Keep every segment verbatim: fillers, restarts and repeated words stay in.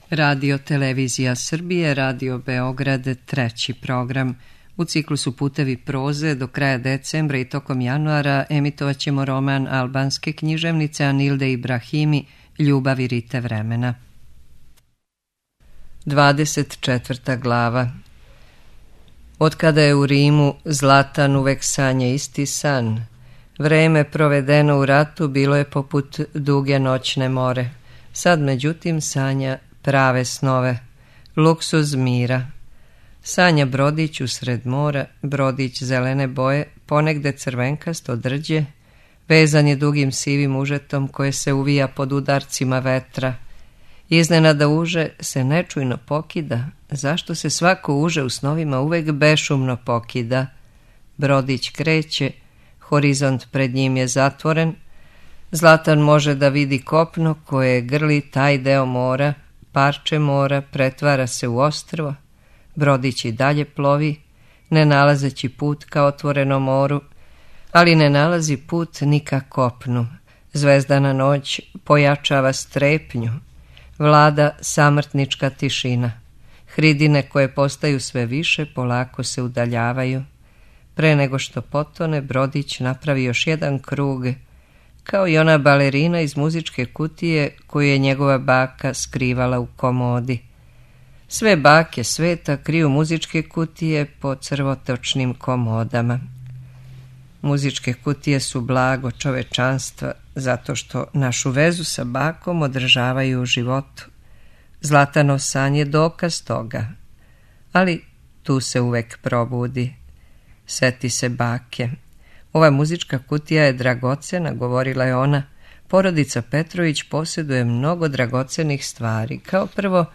Radio Televizija Srbije, Radio Beograd, treći program. U ciklusu Putevi proze do kraja decembra i tokom januara emitovat ćemo roman albanske književnice Anilde Ibrahimi Ljubav i rite vremena. dvadeset četvrta glava. Od kada je u Rimu Zlatan uvek sanja isti san. Vreme provedeno u ratu bilo je poput duge noćne more. Sad međutim sanja prave snove, luksuz mira. Sanja brodić usred mora, brodić zelene boje, ponegde crvenkasto drđe, vezan je dugim sivim užetom koje se uvija pod udarcima vetra. Iznenada uže se nečujno pokida, zašto se svako uže u snovima uvek bešumno pokida. Brodić kreće, horizont pred njim je zatvoren, Zlatan može da vidi kopno koje grli taj deo mora, parče mora pretvara se u ostrvo, brodić i dalje plovi, ne nalazeći put ka otvorenom moru, ali ne nalazi put ni ka kopnu. Zvezdana noć pojačava strepnju, vlada samrtnička tišina. Hridine koje postaju sve više polako se udaljavaju. Pre nego što potone, brodić napravi još jedan krug, kao i ona balerina iz muzičke kutije koju je njegova baka skrivala u komodi. Sve bake sveta kriju muzičke kutije po crvotočnim komodama. Muzičke kutije su blago čovečanstva zato što našu vezu sa bakom održavaju u životu. Zlatanov san je dokaz toga, ali tu se uvek probudi. Seti se bake. Ova muzička kutija je dragocena, govorila je ona. Porodica Petrović posjeduje mnogo dragocenih stvari. Kao prvo,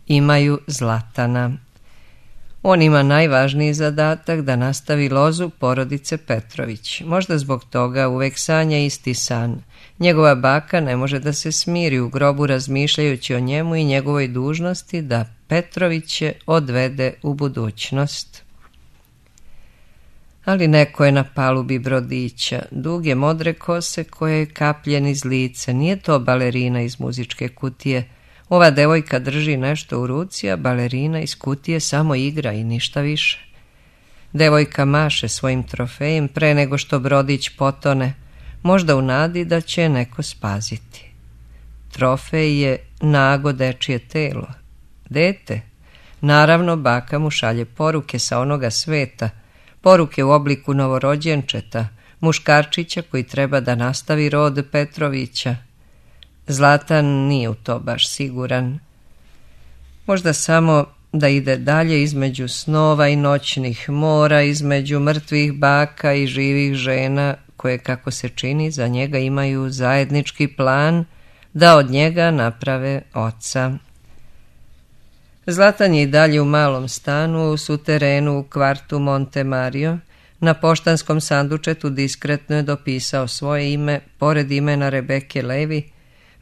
imaju Zlatana. On ima najvažniji zadatak da nastavi lozu porodice Petrović. Možda zbog toga uvek sanja isti san. Njegova baka ne može da se smiri u grobu razmišljajući o njemu i njegovoj dužnosti da Petroviće odvede u budućnost. Ali neko je na palubi brodića, duge modre kose koje je kapljen iz lice. Nije to balerina iz muzičke kutije. Ova devojka drži nešto u ruci, a balerina iz kutije samo igra i ništa više. Devojka maše svojim trofejem pre nego što brodić potone, možda u nadi da će neko spaziti. Trofej je nago dečije telo. Dete? Naravno, baka mu šalje poruke sa onoga sveta, poruke u obliku novorođenčeta, muškarčića koji treba da nastavi rod Petrovića. Zlatan nije u to baš siguran. Možda samo da ide dalje između snova i noćnih mora, između mrtvih baka i živih žena koje, kako se čini, za njega imaju zajednički plan da od njega naprave oca. Zlatan je i dalje u malom stanu u suterenu u kvartu Monte Mario. Na poštanskom sandučetu diskretno je dopisao svoje ime pored imena Rebeke Levi.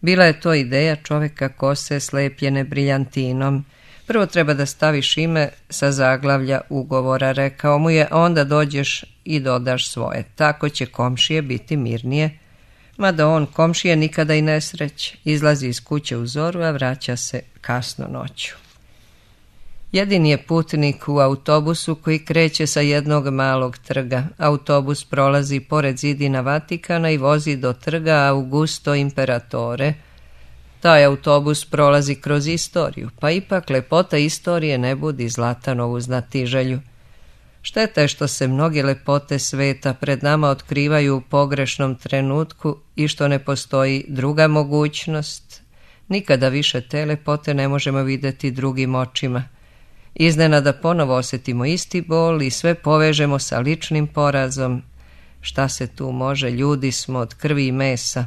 Bila je to ideja čoveka kose slepljene briljantinom. Prvo treba da staviš ime sa zaglavlja ugovora, rekao mu je, onda dođeš i dodaš svoje. Tako će komšije biti mirnije. Mada on komšije nikada i ne sreće. Izlazi iz kuće u zoru, a vraća se kasno noću. Jedini je putnik u autobusu koji kreće sa jednog malog trga. Autobus prolazi pored zidina Vatikana i vozi do trga Augusto Imperatore. Taj autobus prolazi kroz istoriju, pa ipak lepota istorije ne budi Zlatanovu znatiželju. Šteta je što se mnoge lepote sveta pred nama otkrivaju u pogrešnom trenutku i što ne postoji druga mogućnost. Nikada više te lepote ne možemo vidjeti drugim očima. Iznenada ponovo osjetimo isti bol i sve povežemo sa ličnim porazom. Šta se tu može, ljudi smo od krvi i mesa.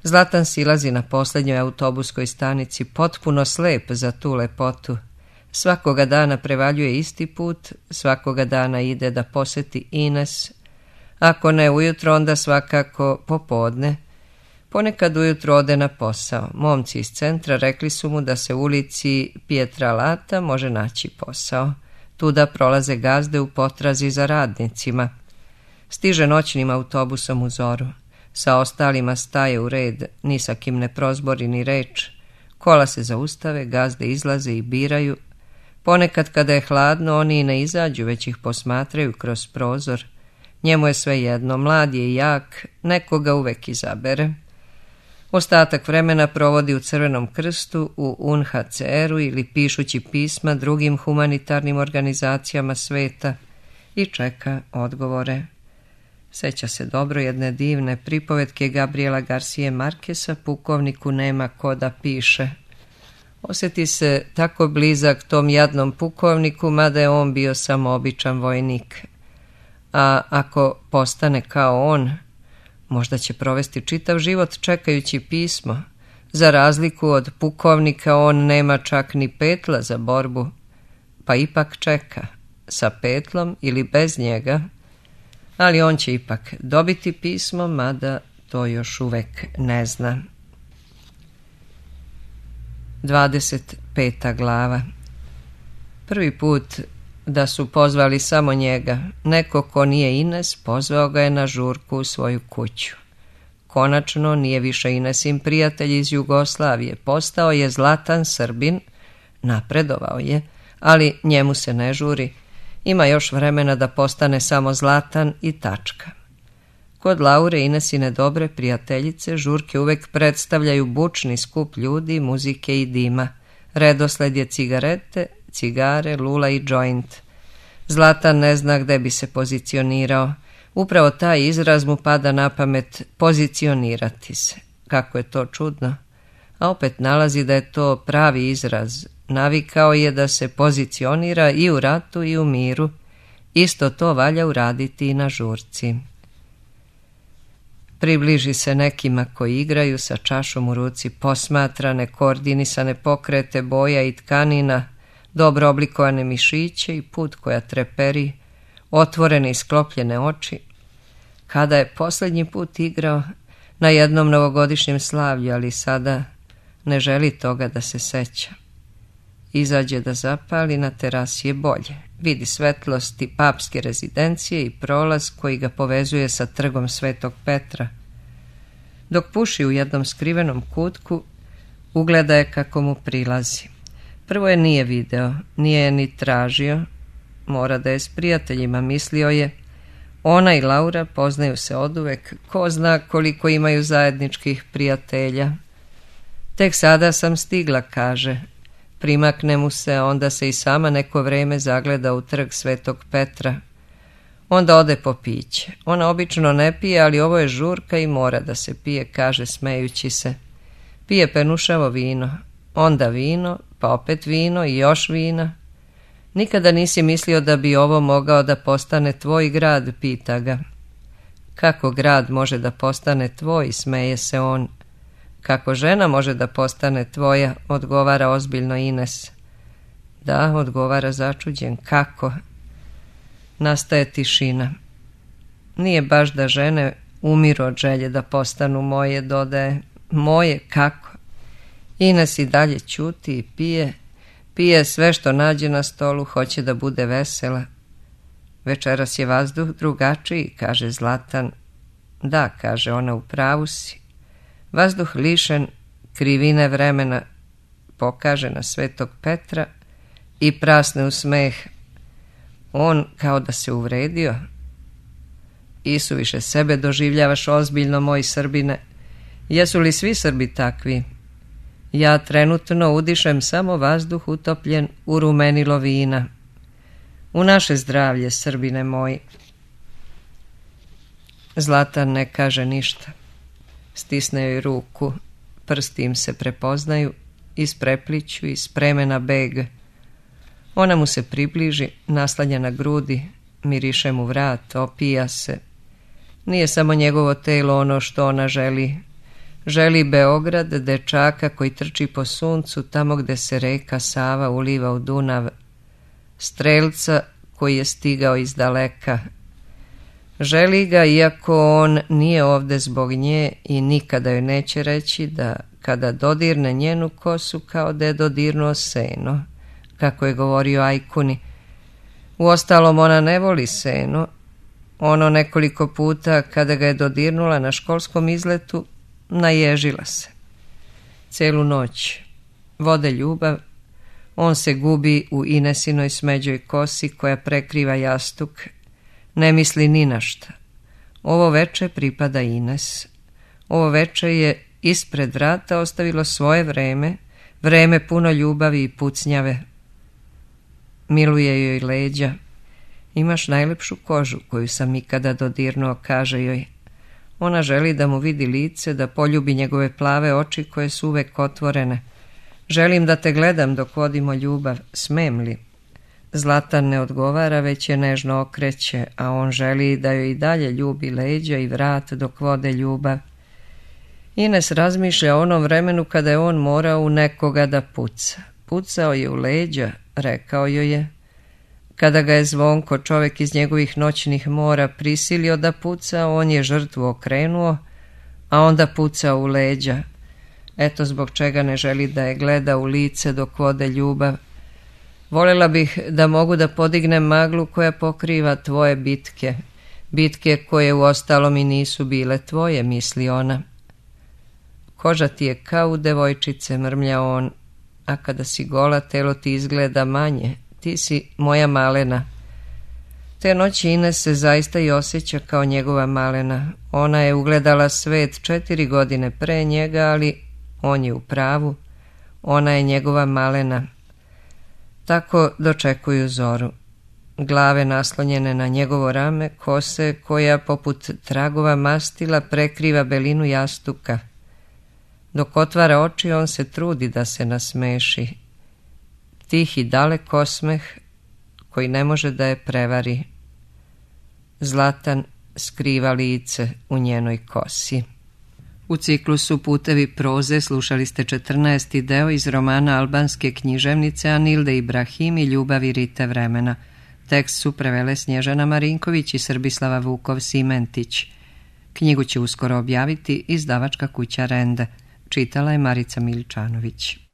Zlatan silazi na posljednjoj autobuskoj stanici, potpuno slep za tu lepotu. Svakoga dana prevaljuje isti put, svakoga dana ide da poseti Ines. Ako ne ujutro, onda svakako popodne. Ponekad ujutro ode na posao. Momci iz centra rekli su mu da se u ulici Pietralata može naći posao. Tuda prolaze gazde u potrazi za radnicima. Stiže noćnim autobusom u zoru. Sa ostalima staje u red, ni sa kim ne prozbori ni reč. Kola se zaustave, gazde izlaze i biraju. Ponekad kada je hladno, oni i ne izađu, već ih posmatraju kroz prozor. Njemu je sve jedno, mlad je i jak, nekoga uvek izabere. Ostatak vremena provodi u Crvenom krstu, u U N H C R-u ili pišući pisma drugim humanitarnim organizacijama sveta i čeka odgovore. Seća se dobro jedne divne pripovetke Gabriela Garcije Markesa, Pukovniku nema ko da piše. Osjeti se tako blizak tom jadnom pukovniku, mada je on bio samo običan vojnik. A ako postane kao on, možda će provesti čitav život čekajući pismo. Za razliku od pukovnika, on nema čak ni petla za borbu, pa ipak čeka, sa petlom ili bez njega, ali on će ipak dobiti pismo, mada to još uvek ne zna. dvadeset peta glava. Prvi put da su pozvali samo njega, neko ko nije Ines, pozvao ga je na žurku u svoju kuću. Konačno nije više Inesin prijatelj iz Jugoslavije, postao je Zlatan Srbin, napredovao je, ali njemu se ne žuri, ima još vremena da postane samo Zlatan i tačka. Kod Laure, Inesine dobre prijateljice, žurke uvek predstavljaju bučni skup ljudi, muzike i dima. Redosled je cigarete, cigare, lula i džoint. Zlatan ne zna gde bi se pozicionirao. Upravo taj izraz mu pada na pamet, pozicionirati se. Kako je to čudno. A opet nalazi da je to pravi izraz. Navikao je da se pozicionira i u ratu i u miru. Isto to valja uraditi i na žurci. Približi se nekima koji igraju sa čašom u ruci, posmatra nekoordinisane pokrete boja i tkanina, dobro oblikovane mišiće i put koja treperi, otvorene i sklopljene oči. Kada je posljednji put igrao? Na jednom novogodišnjem slavlju, ali sada ne želi toga da se seća. Izađe da zapali, na terasi je bolje. Vidi svetlosti papske rezidencije i prolaz koji ga povezuje sa trgom Svetog Petra. Dok puši u jednom skrivenom kutku, ugleda je kako mu prilazi. Prvo je nije video, nije je ni tražio, mora da je s prijateljima, mislio je. Ona i Laura poznaju se oduvek, ko zna koliko imaju zajedničkih prijatelja. Tek sada sam stigla, kaže. Primakne mu se, onda se i sama neko vreme zagleda u trg Svetog Petra. Onda ode po piće. Ona obično ne pije, ali ovo je žurka i mora da se pije, kaže smejući se. Pije penušavo vino, onda vino, pa opet vino i još vina. Nikada nisi mislio da bi ovo mogao da postane tvoj grad, pita ga. Kako grad može da postane tvoj, smeje se on. Kako žena može da postane tvoja, odgovara ozbiljno Ines. Da, odgovara začuđen, kako? Nastaje tišina. Nije baš da žene umiru od želje da postanu moje, dodaje. Moje, kako? Ines i dalje ćuti i pije, pije sve što nađe na stolu, hoće da bude vesela. Večeras je vazduh drugačiji, kaže Zlatan. Da, kaže ona, u pravu si. Vazduh lišen krivine vremena, pokaže na Svetog Petra i prasne u smeh. On kao da se uvredio. Isuviše sebe doživljavaš ozbiljno, moj Srbine. Jesu li svi Srbi takvi? Ja trenutno udišem samo vazduh utopljen u rumenilo vina. U naše zdravlje, Srbine moji. Zlatan ne kaže ništa. Stisne joj ruku, prsti im se prepoznaju, isprepliću i spreme na beg. Ona mu se približi, naslanja na grudi, miriše mu vrat, opija se. Nije samo njegovo telo ono što ona želi. Želi Beograd, dečaka koji trči po suncu tamo gde se reka Sava uliva u Dunav, strelca koji je stigao iz daleka. Želi ga iako on nije ovde zbog nje i nikada joj neće reći da kada dodirne njenu kosu kao da je dodirnuo seno, kako je govorio Ajkuni. Uostalom ona ne voli seno. Ono nekoliko puta kada ga je dodirnula na školskom izletu, naježila se. Celu noć vode ljubav, on se gubi u Inesinoj smeđoj kosi koja prekriva jastuk, ne misli ni na šta. Ovo veče pripada Ines. Ovo veče je ispred vrata ostavilo svoje vreme, vreme puno ljubavi i pucnjave. Miluje joj leđa. Imaš najlepšu kožu koju sam ikada dodirnuo, kaže joj. Ona želi da mu vidi lice, da poljubi njegove plave oči koje su uvek otvorene. Želim da te gledam dok vodimo ljubav, smem li? Zlatan ne odgovara, već je nežno okreće, a on želi da joj i dalje ljubi leđa i vrat dok vode ljubav. Ines razmišlja o onom vremenu kada je on morao u nekoga da puca. Pucao je u leđa, rekao joj je. Kada ga je Zvonko, čovjek iz njegovih noćnih mora, prisilio da puca, on je žrtvu okrenuo, a onda pucao u leđa. Eto zbog čega ne želi da je gleda u lice dok vode ljubav. Voljela bih da mogu da podignem maglu koja pokriva tvoje bitke, bitke koje u ostalom i nisu bile tvoje, misli ona. Koža ti je kao u devojčice, mrmlja on, a kada si gola, telo ti izgleda manje, ti si moja malena. Te noći Ines se zaista i osjeća kao njegova malena. Ona je ugledala svet četiri godine pre njega, ali on je u pravu. Ona je njegova malena. Tako dočekuju zoru. Glave naslonjene na njegovo rame, kose koja poput tragova mastila prekriva belinu jastuka. Dok otvara oči, on se trudi da se nasmeši. Tih i dalek osmeh koji ne može da je prevari. Zlatan skriva lice u njenoj kosi. U ciklusu Putevi proze slušali ste četrnaesti deo iz romana albanske književnice Anilde Ibrahim i Ljubavi Rite vremena. Tekst su prevele Snježana Marinković i Srbislava Vukov-Simentić. Knjigu će uskoro objaviti izdavačka kuća Rende. Čitala je Marica Miličanović.